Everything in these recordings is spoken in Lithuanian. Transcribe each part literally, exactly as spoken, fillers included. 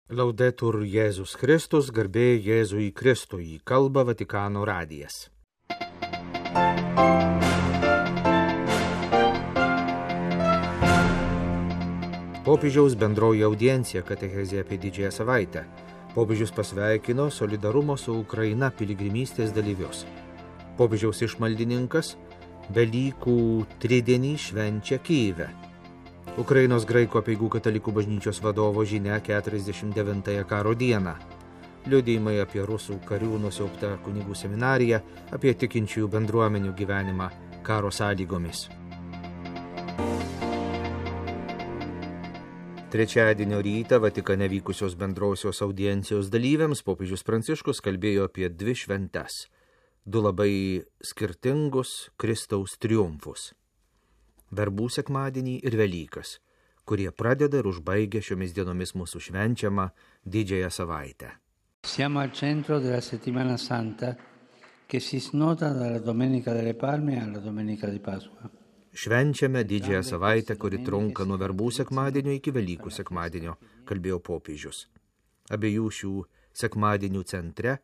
Laudetur Jėzus Kristus, garbė Jėzui Kristui, kalba Vatikano radijas. Popiežiaus bendroji audiencija katechezė apie didžiąją savaitę. Popiežius pasveikino solidarumo su Ukraina piligrimystės dalyvius. Popiežiaus išmaldininkas Velykų tridienį švenčia Kyjive. Ukrainos graikų apeigų katalikų bažnyčios vadovo žinia keturiasdešimt devintąją karo dieną. Liudijimai apie rusų karių nusiaubtą kunigų seminariją, apie tikinčiųjų bendruomenių gyvenimą karo sąlygomis. Trečiadienio rytą Vatikane vykusios bendrosios audiencijos dalyviams popiežius Pranciškus kalbėjo apie dvi šventes, du labai skirtingus Kristaus triumfus. Verbų sekmadienį ir Velykas, kurie pradeda ir užbaigia šiomis dienomis mūsų švenčiamą didžiąją savaitę. Siamo al centro della settimana santa che si snoda dalla Domenica delle Palme alla Domenica di Pasqua. Švenčiame didžiąją savaitę, kuri trunka nuo Verbų sekmadienio iki Velykų sekmadienio, kalbėjo popiežius. Abiejų šių sekmadienių centre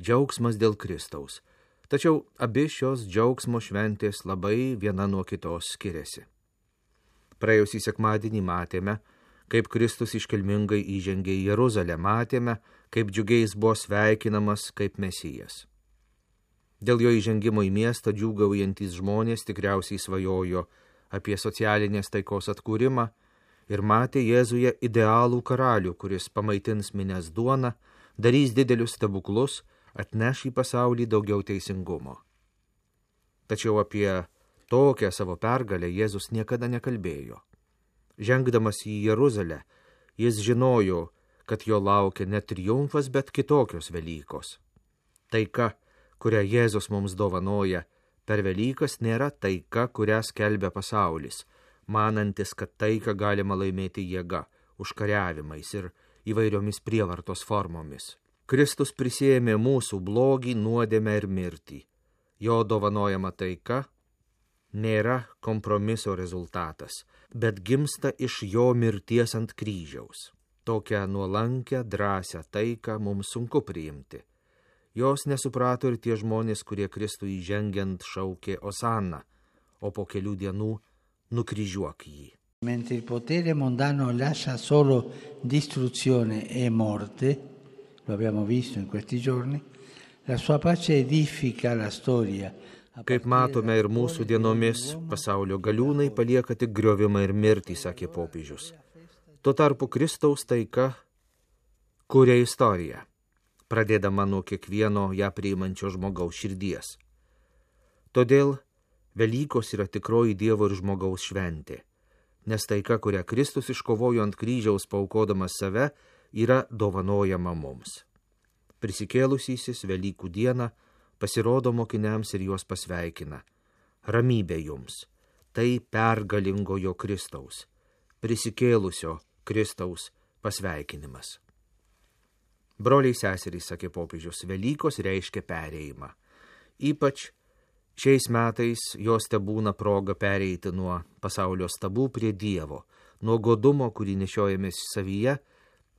džiaugsmas dėl Kristaus. Tačiau abi šios džiaugsmo šventės labai viena nuo kitos skiriasi. Praėjusį sekmadienį matėme, kaip Kristus iškilmingai įžengė į Jeruzalę, matėme, kaip džiugiai jis buvo sveikinamas kaip Mesijas. Dėl jo įžengimo į miestą džiūgaujantys žmonės tikriausiai svajojo apie socialinės taikos atkūrimą ir matė Jėzuje idealų karalių, kuris pamaitins minias duoną, darys didelius stebuklus, atneš į pasaulį daugiau teisingumo. Tačiau apie tokią savo pergalę Jėzus niekada nekalbėjo. Žengdamas į Jeruzalę, jis žinojo, kad jo laukia ne triumfas, bet kitokios Velykos. Taika, kurią Jėzus mums dovanoja per Velykas, nėra taika, kurią skelbia pasaulis, manantis, kad taiką galima laimėti jėga, užkariavimais ir įvairiomis prievartos formomis. Kristus prisiėmė mūsų blogį, nuodėmę ir mirtį. Jo dovanojama taika nėra kompromiso rezultatas, bet gimsta iš jo mirties ant kryžiaus. Tokią nuolankę, drąsią taiką mums sunku priimti. Jos nesuprato ir tie žmonės, kurie Kristui įžengiant šaukė Osanna, o po kelių dienų nukryžiuok jį. Mentre il potere mondano lascia solo distruzione e morte, lo abbiamo visto in questi giorni, la sua pace edifica la storia. Kaip matome ir mūsų dienomis, pasaulio galiūnai palieka tik griovimą ir mirtį, sakė popiežius. Tuo tarpu Kristaus taika kuria istoriją, pradėdama nuo kiekvieno ją priimančio žmogaus širdies. Todėl Velykos yra tikroji Dievo ir žmogaus šventė, nes taika, kurią Kristus iškovojo ant kryžiaus paaukodamas save, yra dovanojama mums. Prisikėlusysis Velykų dieną pasirodo mokiniams ir juos pasveikina. Ramybė jums, tai pergalingojo Kristaus, prisikėlusio Kristaus pasveikinimas. Broliai seserys, sakė popiežius, Velykos reiškia perėjimą. Ypač šiais metais jos tebūna proga pereiti nuo pasaulio stabų prie Dievo, nuo godumo, kurį nešiojamės savyje,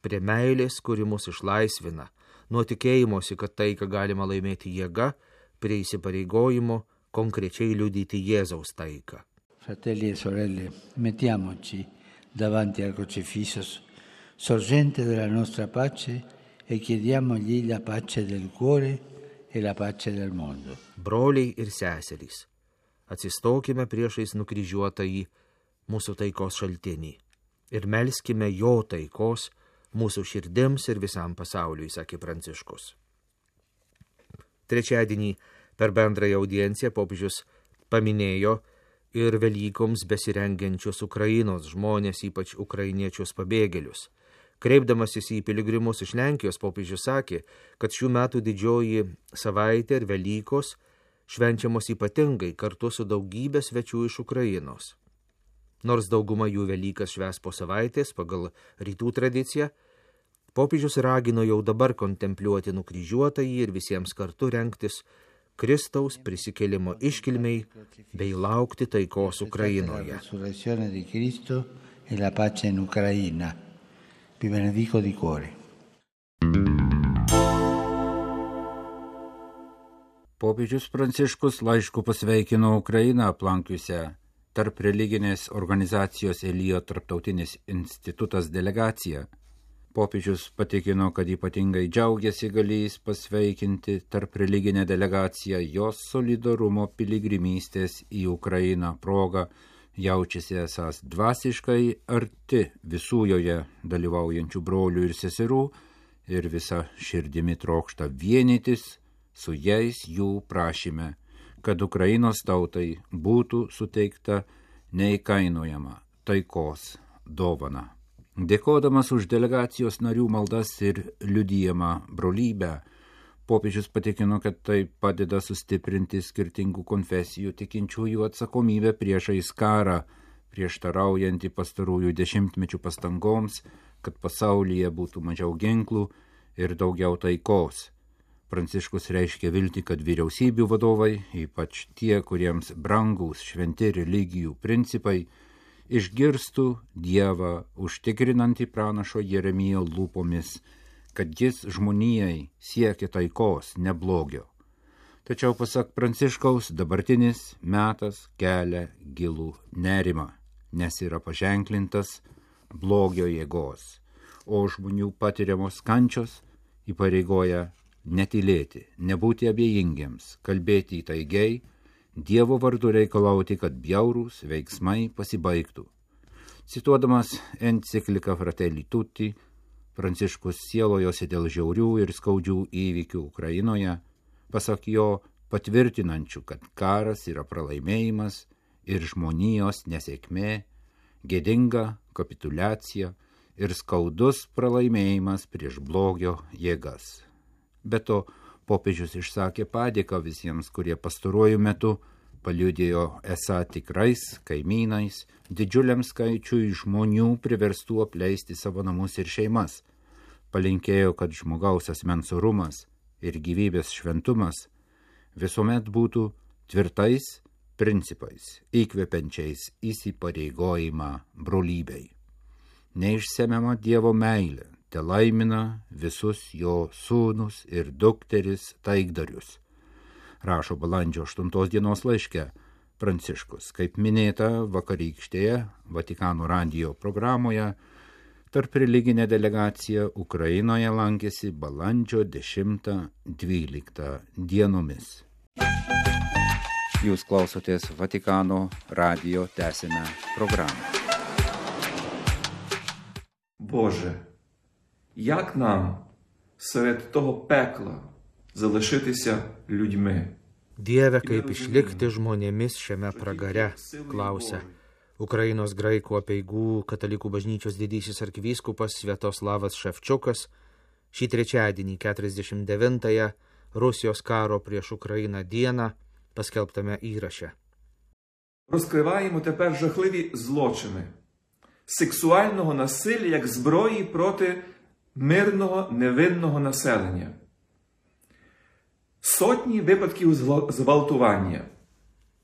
prie meilės, kuri mus išlaisvina, nuo tikėjimosi, kad taiką galima laimėti jėga, prie įsipareigojimo konkrečiai liudyti Jėzaus taiką. Fratelli e sorelle, mettiamoci davanti al crocifisso, sorgente della nostra pace, e chiediamogli la pace del cuore e la pace del mondo. Broliai ir seserys, atsistokime priešais nukryžiuotąjį mūsų taikos šaltinį ir melskime jo taikos mūsų širdims ir visam pasauliui, sakė Pranciškus. Trečiadienį per bendrąją audienciją popiežius paminėjo ir Velykoms besirengiančius Ukrainos žmonės, ypač ukrainiečius pabėgėlius. Kreipdamasis į piligrimus iš Lenkijos, popiežius sakė, kad šių metų didžioji savaitė ir Velykos švenčiamos ypatingai kartu su daugybė svečių iš Ukrainos. Nors dauguma jų Velykas švęs po savaitės pagal rytų tradiciją, popiežius ragino jau dabar kontempliuoti nukryžiuotąjį ir visiems kartu rengtis Kristaus prisikėlimo iškilmei bei laukti taikos Ukrainoje. Vi benedico di cuore. Popiežius Pranciškus laišku pasveikino Ukrainą aplankiusią tarp religinės organizacijos Elijo tarptautinis institutas delegaciją. Popiežius patikino, kad ypatingai džiaugiasi galėjęs pasveikinti tarp religinę delegaciją jos solidarumo piligrimystės į Ukrainą progą, jaučiasi esąs dvasiškai arti visų joje dalyvaujančių brolių ir seserų ir visa širdimi trokšta vienytis su jais jų prašyme, kad Ukrainos tautai būtų suteikta neįkainojama taikos dovana. Dėkodamas už delegacijos narių maldas ir liudijamą brolybę, popiežius patikino, kad tai padeda sustiprinti skirtingų konfesijų tikinčiųjų atsakomybę priešais karą, prieštaraujantį pastarųjų dešimtmečių pastangoms, kad pasaulyje būtų mažiau ginklų ir daugiau taikos. Pranciškus reiškia viltį, kad vyriausybių vadovai, ypač tie, kuriems brangūs šventi religijų principai, išgirstų Dievą užtikrinantį pranašo Jeremijo lūpomis, kad jis žmonijai siekia taikos, ne blogio. Tačiau, pasak Pranciškaus, dabartinis metas kelia gilų nerimą, nes yra paženklintas blogio jėgos, o žmonių patiriamos kančios įpareigoja netylėti, nebūti abejingiems, kalbėti įtaigiai, Dievo vardu reikalauti, kad bjaurūs veiksmai pasibaigtų. Cituodamas encikliką Fratelli Tutti, Pranciškus sielojosi dėl žiaurių ir skaudžių įvykių Ukrainoje, pasak jo patvirtinančių, kad karas yra pralaimėjimas ir žmonijos nesėkmė, gėdinga kapituliacija ir skaudus pralaimėjimas prieš blogio jėgas. Be to, popiežius išsakė padėką visiems, kurie pastaruoju metu paliudėjo esą tikrais kaimynais, didžiuliam skaičiui žmonių priverstų apleisti savo namus ir šeimas. Palinkėjo, kad žmogaus asmens orumas ir gyvybės šventumas visuomet būtų tvirtais principais, įkvepiančiais įsipareigojimą brolybei. Neišsemiama Dievo meilė te laimina visus jo sūnus ir dukteris taikdarius, rašo balandžio aštuntos dienos laiške Pranciškus. Kaip minėta vakarykštėje Vatikano radijo programoje, tarp religinė delegacija Ukrainoje lankėsi balandžio dešimtą dvyliktą dienomis. Jūs klausotės Vatikano radijo tęsinę programą. Боже, як нам серед того пекла залишитися людьми? Dieve, kaip išlikti žmonėmis šiame pragare, klausia Ukrainos graikų apeigų katalikų bažnyčios didysis arkivyskupas Sviatoslavas Ševčiukas šį trečiadienį keturiasdešimt devintąją Rusijos karo prieš Ukrainą dieną paskelbtame įraše. Розкриваємо тепер жахливі злочини сексуального насилля як зброї проти мирного невинного населення. Sotні випадків зґвалтування.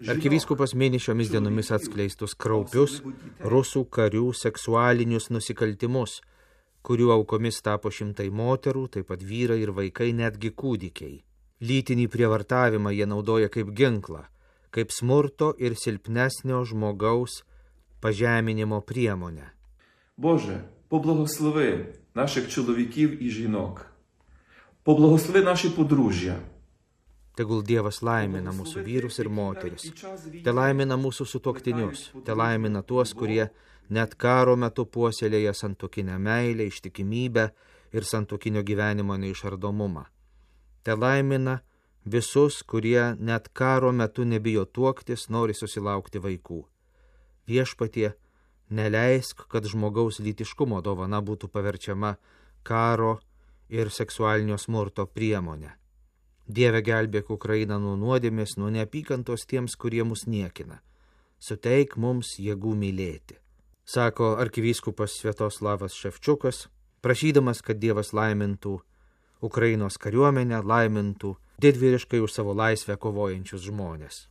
Arkivyskupas mini šiomis dienomis atskleistus kraupius rusų karių seksualinius nusikaltimus, kurių aukomis tapo šimtai moterų, taip pat vyrai ir vaikai, netgi kūdikiai. Lytinį prievartavimą jie naudoja kaip ginklą, kaip smurto ir silpnesnio žmogaus pažeminimo priemonę. Боже, поблагослови наших чоловіків і жінок. Поблагослови наші подружжя. Tegul Dievas laimina mūsų vyrus ir moteris, te laimina mūsų sutuoktinius, te laimina tuos, kurie net karo metu puoselėja santuokinę meilę, ištikimybę ir santuokinio gyvenimo neišardomumą. Te laimina visus, kurie net karo metu nebijo tuoktis, nori susilaukti vaikų. Viešpatie, neleisk, kad žmogaus lytiškumo dovana būtų paverčiama karo ir seksualinio smurto priemonė. Dieve, gelbėk Ukrainą nuo nuodėmės, nuo neapykantos tiems, kurie mus niekina. Suteik mums jėgų mylėti, sako arkivyskupas Sviatoslavas Ševčiukas, prašydamas, kad Dievas laimintų Ukrainos kariuomenę, laimintų didvyriškai už savo laisvę kovojančius žmonės.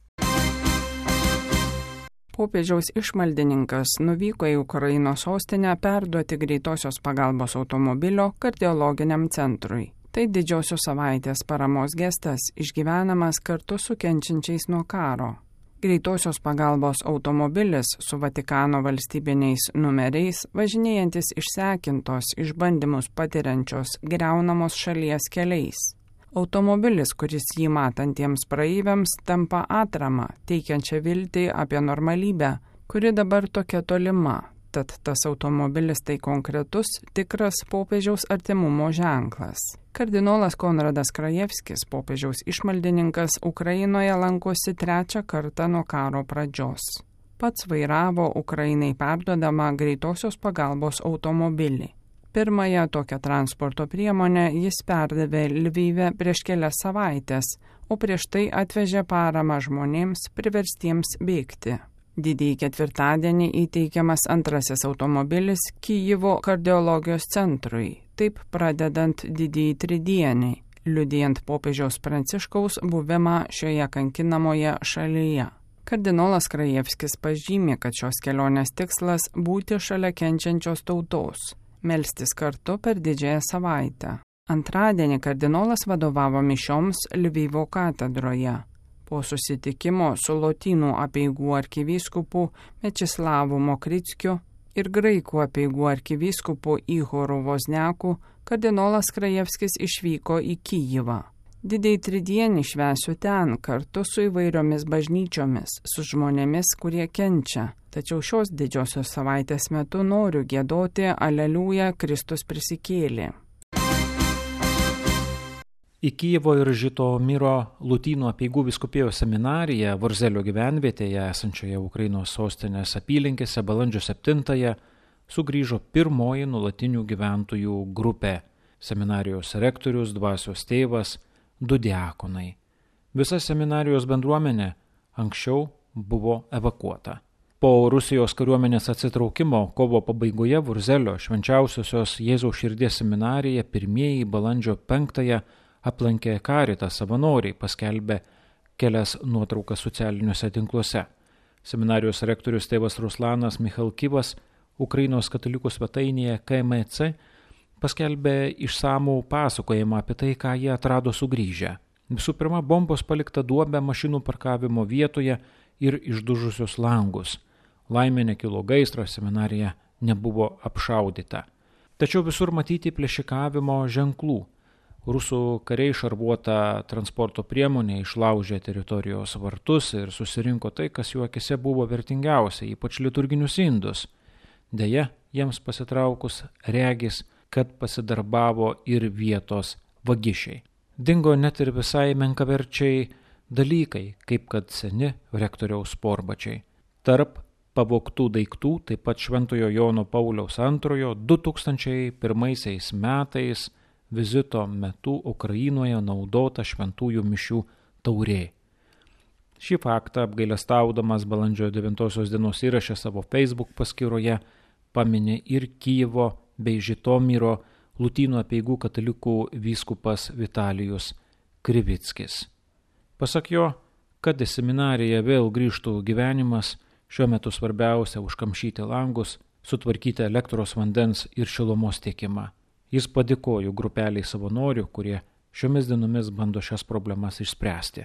Popiežiaus išmaldininkas nuvyko į Ukrainos sostinę perduoti greitosios pagalbos automobilio kardiologiniam centrui. Tai didžiosios savaitės paramos gestas išgyvenamas kartu su kenčiančiais nuo karo. Greitosios pagalbos automobilis su Vatikano valstybiniais numeriais, važinėjantis išsekintos, išbandymus patiriančios, griaunamos šalies keliais. Automobilis, kuris jį matantiems praeiviams tampa atrama, teikiančia viltį apie normalybę, kuri dabar tokia tolima. Tad tas automobilis tai konkretus, tikras popiežiaus artimumo ženklas. Kardinolas Konradas Krajevskis, popiežiaus išmaldininkas, Ukrainoje lankosi trečią kartą nuo karo pradžios. Pats vairavo Ukrainai perduodamą greitosios pagalbos automobilį. Pirmąją tokią transporto priemonę jis perdavė Lvive prieš kelias savaitės, o prieš tai atvežė paramą žmonėms priverstiems bėgti. Didįjį ketvirtadienį įteikiamas antrasis automobilis Kijevo kardiologijos centrui, taip pradedant didįjį tridienį, liudijant popiežiaus Pranciškaus buvimą šioje kankinamoje šalyje. Kardinolas Krajevskis pažymė, kad šios kelionės tikslas būti šalia kenčiančios tautos, melstis kartu per didžiąją savaitę. Antradienį kardinolas vadovavo mišioms Lvivo katedroje. Po susitikimo su Lotynų apeigų arkivyskupu Mečislavu Mokrickiu ir graikų apeigų arkivyskupu Ihoru Vozniaku, kardinolas Krajevskis išvyko į Kijivą. Didįjį tridienį švęsiu ten kartu su įvairiomis bažnyčiomis, su žmonėmis, kurie kenčia. Tačiau šios didžiosios savaitės metu noriu giedoti Aleliuja, Kristus prisikėlė. Į Kijevo ir Žitomiro Lotynų apeigų vyskupijos seminariją Vorzelio gyvenvietėje esančioje Ukrainos sostinės apylinkėse balandžio septintąją sugrįžo pirmoji nuolatinių gyventojų grupė – seminarijos rektorius, dvasios tėvas, du diakonai. Visa seminarijos bendruomenė anksčiau buvo evakuota. Po Rusijos kariuomenės atsitraukimo kovo pabaigoje Vorzelio švenčiausiosios Jėzaus širdies seminariją pirmieji balandžio penktąją aplankė Caritas savanoriai, paskelbė kelias nuotraukas socialiniuose tinkluose. Seminarijos rektorius tėvas Ruslanas Michalkivas Ukrainos katalikų svetainėje K M C paskelbė išsamų pasakojimą apie tai, ką jie atrado sugrįžę. Visų pirma, bombos palikta duobė mašinų parkavimo vietoje ir išdužusios langus. Laimė nekilo gaisras, seminarija nebuvo apšaudyta. Tačiau visur matyti plėšikavimo ženklų. Rusų kariai šarvuota transporto priemonė išlaužė teritorijos vartus ir susirinko tai, kas jų akise buvo vertingiausia, ypač liturginius indus. Deja, jiems pasitraukus regis, kad pasidarbavo ir vietos vagišiai. Dingo net ir visai menkaverčiai dalykai, kaip kad seni rektoriaus sportbačiai. Tarp pavogtų daiktų taip pat Šventojo Jono Pauliaus antrojo du tūkstančiai pirmaisiais metais vizito metu Ukrainoje naudota šventųjų mišių taurė. Šį faktą apgailestaudamas balandžio devintosios dienos įraše savo Facebook paskyroje paminė ir Kijevo bei Žitomiro Lotynų apeigų katalikų vyskupas Vitalijus Krivickis. Pasak jo, kad į seminariją vėl grįžtų gyvenimas, šiuo metu svarbiausia užkamšyti langus, sutvarkyti elektros, vandens ir šilumos tiekimą. Jis padėkojo grupeliai savanorių, kurie šiomis dienomis bando šias problemas išspręsti.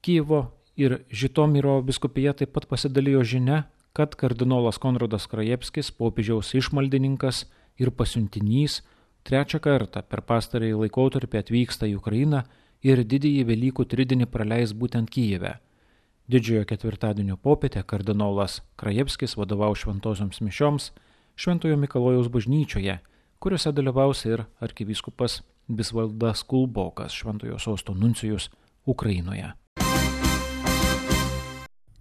Kijevo ir Žitomiro vyskupija taip pat pasidalijo žinia, kad kardinolas Konradas Krajevskis, popiežiaus išmaldininkas ir pasiuntinys, trečią kartą per pastarąjį laikotarpį atvyksta į Ukrainą ir didįjį Velykų tridienį praleis būtent Kijeve. Didžiojo ketvirtadienio popietę kardinolas Krajevskis vadovaus šventosioms mišioms Šventojo Mikalojaus bažnyčioje, kuriuose dalyvaus ir arkivyskupas Visvaldas Kulbokas, Šventojo sosto nuncijus Ukrainoje.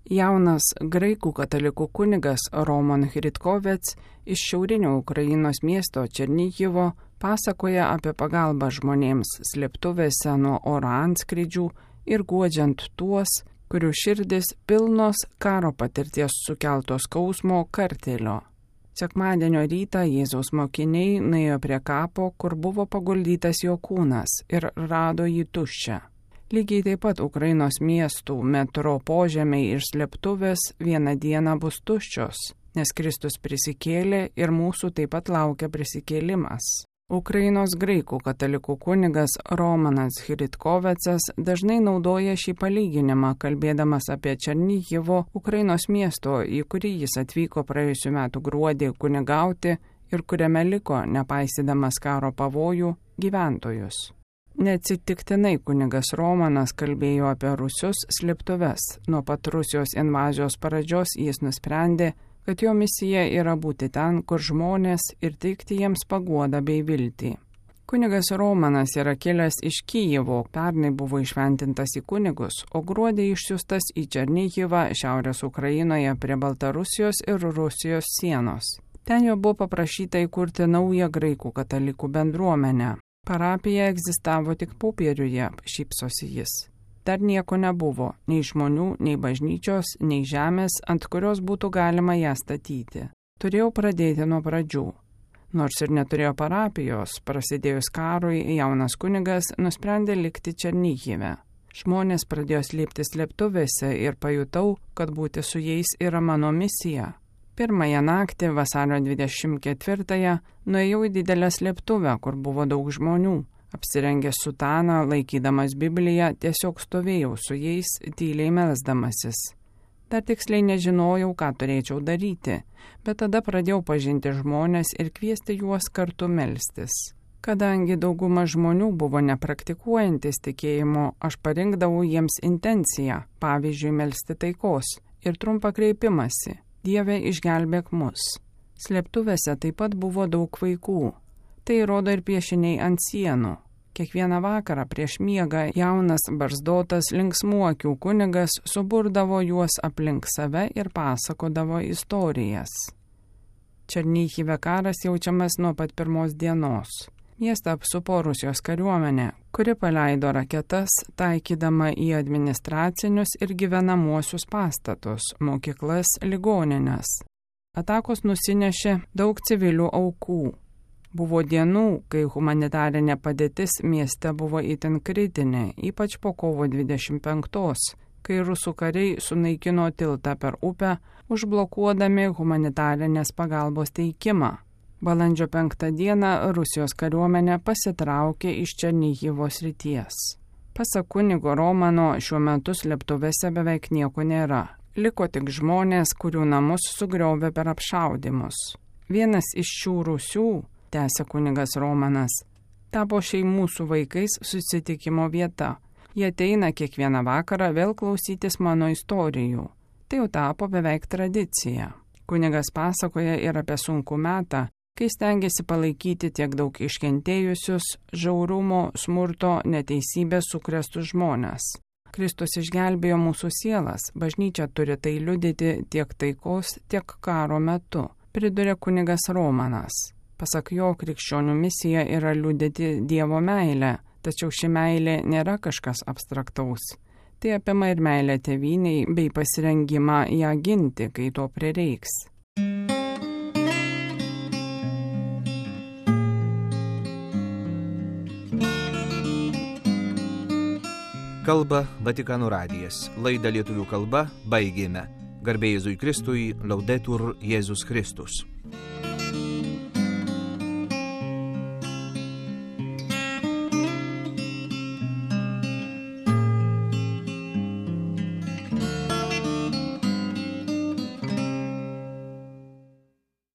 Jaunas graikų katalikų kunigas Roman Hritkovets iš šiaurinio Ukrainos miesto Černihivo pasakoja apie pagalbą žmonėms slėptuvėse nuo oro antskrydžių ir guodžiant tuos, kurių širdis pilnos karo patirties sukeltos skausmo kartėlio. Sekmadienio rytą Jėzaus mokiniai nuėjo prie kapo, kur buvo paguldytas jo kūnas ir rado jį tuščią. Lygiai taip pat Ukrainos miestų metro požemiai ir slėptuvės vieną dieną bus tuščios, nes Kristus prisikėlė ir mūsų taip pat laukia prisikėlimas. Ukrainos graikų katalikų kunigas Romanas Hritkovecas dažnai naudoja šį palyginimą, kalbėdamas apie Černihivo, Ukrainos miesto, į kurį jis atvyko praėjusiu metu gruodį kunigauti ir kuriame liko, nepaisydamas karo pavojų, gyventojus. Neatsitiktinai kunigas Romanas kalbėjo apie Rusios slėptuves. Nuo pat Rusijos invazijos pradžios jis nusprendė, kad jo misija yra būti ten, kur žmonės ir teikti jiems paguodą bei viltį. Kunigas Romanas yra kilęs iš Kijevo, pernai buvo išventintas į kunigus, o gruodį išsiųstas į Černihivą, šiaurės Ukrainoje prie Baltarusijos ir Rusijos sienos. Ten jo buvo paprašyta įkurti naują graikų katalikų bendruomenę. Parapija egzistavo tik popieriuje, šypsosi jis. Dar nieko nebuvo, nei žmonių, nei bažnyčios, nei žemės, ant kurios būtų galima ją statyti. Turėjau pradėti nuo pradžių. Nors ir neturėjo parapijos, prasidėjus karui, jaunas kunigas nusprendė likti Černihive. Žmonės pradėjo slėpti slėptuvėse ir pajutau, kad būti su jais yra mano misija. Pirmąją naktį, vasario dvidešimt ketvirtąją, nuėjau į didelę slėptuvę, kur buvo daug žmonių. Apsirengęs sutaną, laikydamas Bibliją, tiesiog stovėjau su jais, tyliai melsdamasis. Dar tiksliai nežinojau, ką turėčiau daryti, bet tada pradėjau pažinti žmonės ir kviesti juos kartu melstis. Kadangi dauguma žmonių buvo nepraktikuojantis tikėjimo, aš parinkdavau jiems intenciją, pavyzdžiui, melsti taikos ir trumpą kreipimąsi: Dieve, išgelbėk mus. Slėptuvėse taip pat buvo daug vaikų. Tai rodo ir piešiniai ant sienų. Kiekvieną vakarą prieš miegą jaunas barzdotas linksmų akių kunigas suburdavo juos aplink save ir pasakodavo istorijas. Černihive karas jaučiamas nuo pat pirmos dienos. Miestą apsupo Rusijos kariuomenė, kuri paleido raketas, taikydama į administracinius ir gyvenamuosius pastatus, mokyklas, ligonines. Atakos nusinešė daug civilių aukų. Buvo dienų, kai humanitarinė padėtis mieste buvo itin kritinė, ypač po kovo dvidešimt penktos, kai rusų kariai sunaikino tiltą per upę, užblokuodami humanitarinės pagalbos teikimą. Balandžio penktą dieną Rusijos kariuomenė pasitraukė iš Černihivo srities. Pasak kunigo Romano, šiuo metu slėptuvėse beveik nieko nėra. Liko tik žmonės, kurių namus sugriovė per apšaudymus. Vienas iš šių rūsių, tęsė kunigas Romanas, tapo šeimų su vaikais susitikimo vieta. Jie ateina kiekvieną vakarą vėl klausytis mano istorijų. Tai jau tapo beveik tradicija. Kunigas pasakoja ir apie sunkų metą, kai stengiasi palaikyti tiek daug iškentėjusius, žiaurumo, smurto, neteisybės sukrėstus žmones. Kristus išgelbėjo mūsų sielas, bažnyčia turi tai liudyti tiek taikos, tiek karo metu, priduria kunigas Romanas. Pasak jo, krikščionių misija yra liudyti Dievo meilę, tačiau ši meilė nėra kažkas abstraktaus. Tai apima ir meilę tėvynei bei pasirengimą ją ginti, kai to prireiks. Kalba Vatikano radijas. Laidą lietuvių kalba baigėme. Garbė Jėzui Kristui, Laudetur Jėzus Kristus.